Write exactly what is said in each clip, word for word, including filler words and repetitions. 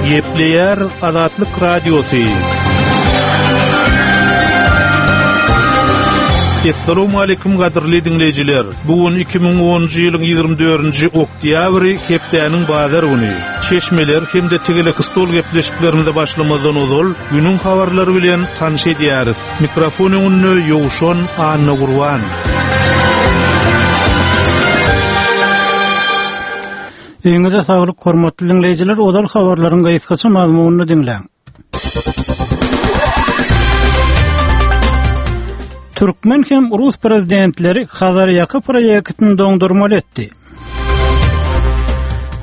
Gepleýär Azatlyk Radiosy. Essalamu aleýkum gadyrly diňleýjiler. Bu gün iki müň onunjy ýylyň ýigrimi dördünji oktýabry, hepdäniň bazar güni. Çeşmeler hem-de tegelek stol gepleşiklerimize başlamazdan ozal günüň habarlary bilen tanyş edýäris. Mikrofon öňünde Ýowşan Anna Gurban. Öňüňize saglyk, hormatly diňleýjiler, ozal habarlaryň gysgaça mazmunyny diňläň. Türkmen hem Rus prezidentleri Hazarýaka proýektini doňdurmaly etdi.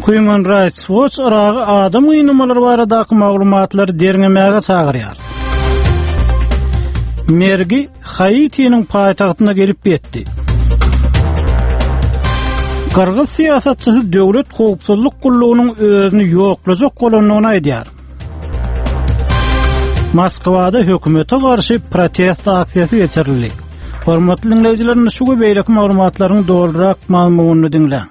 Human Rights Watch Yragy adam gynamalary baradaky maglumatlary derňemäge çagyrýar. Mergi Haitiniň paýtagtyna gelip ýetdi. Gyrgyz syýasatçysy döwlet howpsuzlyk gullugynyň özüni ýoklajak bolandygyny aýdýar. Moskwada hökümete garşy protest aksiýasy geçirildi. Hormatly diňleýjiler, şu we beýleki maglumatlaryň dolurak mazmunyny diňläň.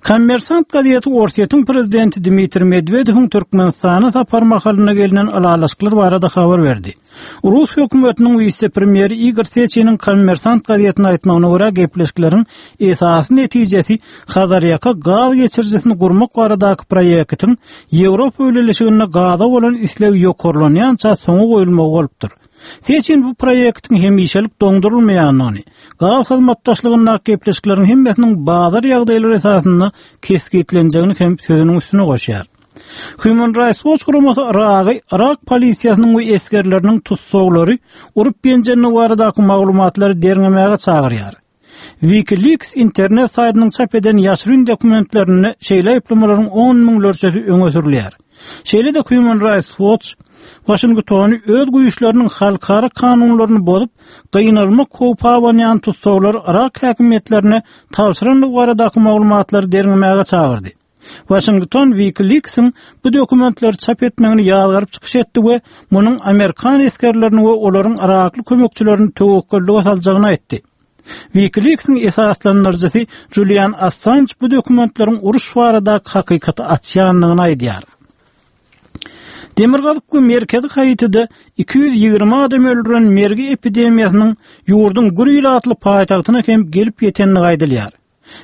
Kommersant gazeti Orsýetiň prezidenti Dmitriý Medwedewiň Türkmenistana sapar mahalynda gelnen ylalaşyklar barada habar berdi. Rus hökümetiniň wise-premýeri Igor Seçiniň Kommersant gazetine aýtmagyna görä, gepleşikleriň esasy netijesi Hazarýaka gaz geçirijisini gurmak baradaky proýektiň Ýewropa Bileleşiginde gaza bolan isleg ýokarlanýança soňa goýulmagy bolupdyr. Seçin bu proýektiň hemişelik doňdurylmaýandygyny, gaz hyzmatdaşlygyndaky gepleşikleriň hemmesiniň bazar ýagdaýlary esasynda kesgitlenjegini hem sözüniň üstüne goşýar. Human Rights Watch guramasy Yragy Yrak polisiýasynyň we esgerleriniň tussaglary urup ýenjendigi baradaky maglumatlary derňemäge çagyrýar. WikiLeaks internet saýtynyň çap eden ýaşyryn dokumentlerinde şeýle aýyplamalaryň on müňlerçesi öňe sürülýär. Şeýle-de Human Rights Watch Waşingtony öz güýçleriniň halkara kanunlaryny bozup, gynalmak howpy abanýan tussaglary Yrak häkimiýetlerine tabşyrandygy baradaky maglumatlary derňemäge çagyrdy. Waşington WikiLeaks-iň bu dokumentleri çap etmegini ýazgaryp çykyş etdi we munuň amerikan esgerlerini we olaryň yrakly kömekçilerini töwekgellige saljagyny aýtdy. WikiLeaks-iň esaslandyryjysy Julian Assange bu dokumentleriň uruş baradaky hakykaty açýandygyny aýdýar. Demirgazyk we merkezi Haitide iki ýüz ýigrimi adam öldüren mergi epidemiýasynyň ýurduň gür ilatly paýtagtyna hem gelip ýetendigi aýdylýar.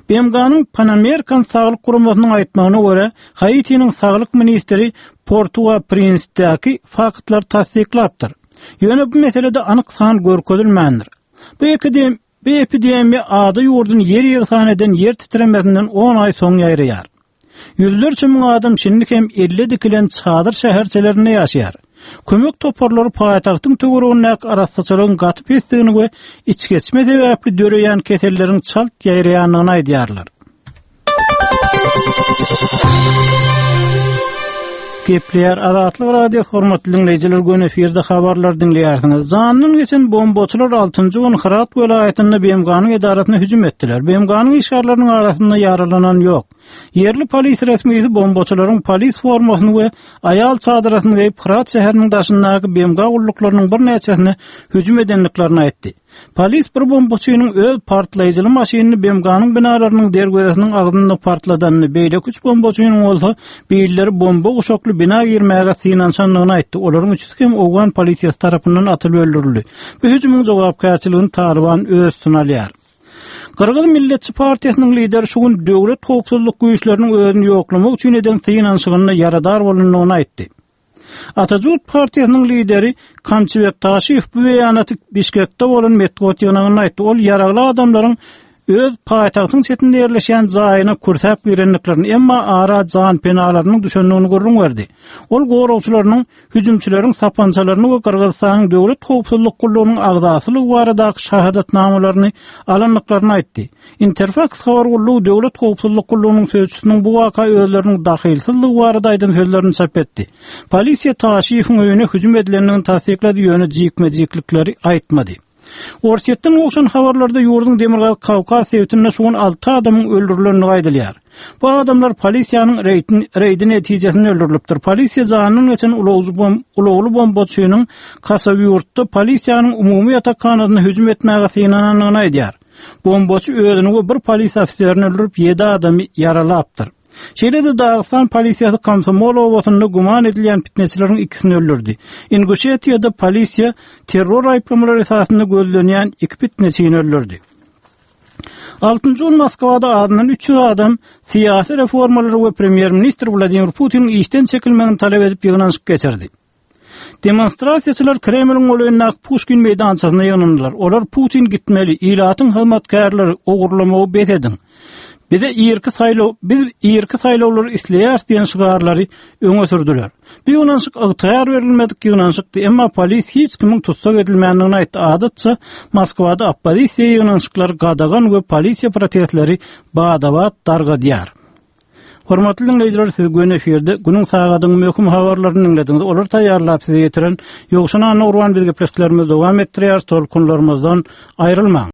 B M G-nyň Pan American Saglyk Guramasynyň aýtmagyna görä, Haitiniň saglyk ministri Portua-Prinsdäki faktlary tassyklapdyr. Ýöne bu meselede anyk san görkezilmändir. Bu epidem-, bu epidemiýa ada ýurduny ýer ýegsan eden ýer titremesinden on aý soň ýaýraýar. Ýüzlerçe müň adam şindi hem elle dikilen çadyr şäherçelerinde ýaşaýar. Kömek toparlary paýtagtyň töweregindäki arassaçylygyň gaty pesdigini we içgeçme sebäpli döreýän keselleriň çalt ýaýraýandygyny aýdýarlar. Gepleýär Azatlyk Radiosy, hormatly diňleýjiler, gün efirde habarlar diňleýärsiňiz. Jandan geçen bombaçylar altynjy gün Hyrat welaýatynda B M G-nyň edarasyna hüjüm etdiler. B M G-nyň işgärleriniň arasynda ýaralanan ýok. Ýerli polis resmisi bombaçylaryň polis formasyny we aýal çadyrasyny geýip Hyrat şäheriniň daşyndaky B M G gulluklarynyň birnäçesine hüjüm edendiklerini aýtdy. Polis bir bombaçynyň öz partlaýjyly maşynyny B M G-nyň binalarynyň derwezesiniň agzynda partladanyny, beýleki üç bombaçynyň bolsa birleri bomba guşakly bina girmäge synanyşandygyny aýtdy. Olaryň üçüsi hem Owgan polisiýasy tarapyndan atylyp öldürildi. Bu hüjümiň jogapkärçiligini Taliban öz üstüne alýar. Gyrgyz Milletçi Partiýasynyň lideri şu gün döwlet howpsuzlyk güýçleriniň özüni ýoklamak üçin eden synanyşygynda ýaradar bolandygyny aýtdy. Atajurt Partiýasynyň lideri Kamçybek Taşiýew bu beýanaty Bişkekde bolan metbugat ýygnagynda aýtdy. Ol ýaragly adamlaryň öz paýtagtyň çetinde ýerleşýän jaýyna kürsäp girendiklerini, emma ara jan penalarynyň düşendigini gürrüň berdi. Ol goragçylarynyň hüjümçileriň sapançalaryny we Gyrgyzystanyň döwlet howpsuzlyk gullugynyň agzasylygy baradaky şahadatnamalaryny alandyklaryny aýtdy. Interfax habar gullugy döwlet howpsuzlyk gullugynyň sözçüsiniň bu waka özleriniň dahilsizligi barada aýdan sözlerini çap etdi. Polisiýa Taşiýewiň öýüne hüjüm edilendigini tassyklady, ýöne jikme-jiklikleri aýtmady. Orsýetden gowşan habarlarda ýurduň Demirgazyk Kawkaz sebitinde şu gün alty adamyň öldürilendigi aýdylýar. Bu adamlar polisiýanyň reýdin, reýdi netijesinde öldürilipdir. Polisiýa janyndan geçen ulagly bom-, ulagly bombaçynyň Kasawýurtda polisiýanyň umumy ýatakhanasyna hüjüm etmäge synanandygyny aýdýar. Bombaçy özüni we bir polis ofiserini öldürip ýedi adamy ýaralapdyr. Şeýle-de Dagystan polisiýasy Komsomol obasynda güman edilýän pitneçileriň ikisini öldürdi. Inguşetiýada polisiýa terror aýyplamalary esasynda gözlenýän iki pitneçini öldürdi. Altynjy gün Moskwada azyndan üç ýüz adam syýasy reformalary we premýer-ministr Wladimir Putiniň işden çekilmegini talap edip ýygnanyşyk geçirdi. Demonstrasiýaçylar Kremliň golaýyndaky Puşkin meýdançasyna ýygnandylar. Olar Putin gitmeli, ilatyň hyzmatkärleri, ogurlamagy bes ediň. Bize irki saýlaw, biz irki saýlawlary isleýäris diýen şygarlary öňe sürdüler. Bu ýygnanyşyk ygtyýar berilmedik ýygnanyşykdy, emma polis hiç kimiň tussag edilmändigini aýtdy. Adatça Moskwada oppozisiýa ýygnanyşyklary gadagan we polisiýa protestleri bada-bat dargadýar. Hormatly diňleýjiler, siz göni efirde günüň sagadyň möhüm habarlaryny diňlediňiz. Olary taýýarlap size ýetiren Ýowşan Annagurban biz gepleşiklerimizi dowam etdirýäris. Tolkunlarymyzdan aýrylmaň.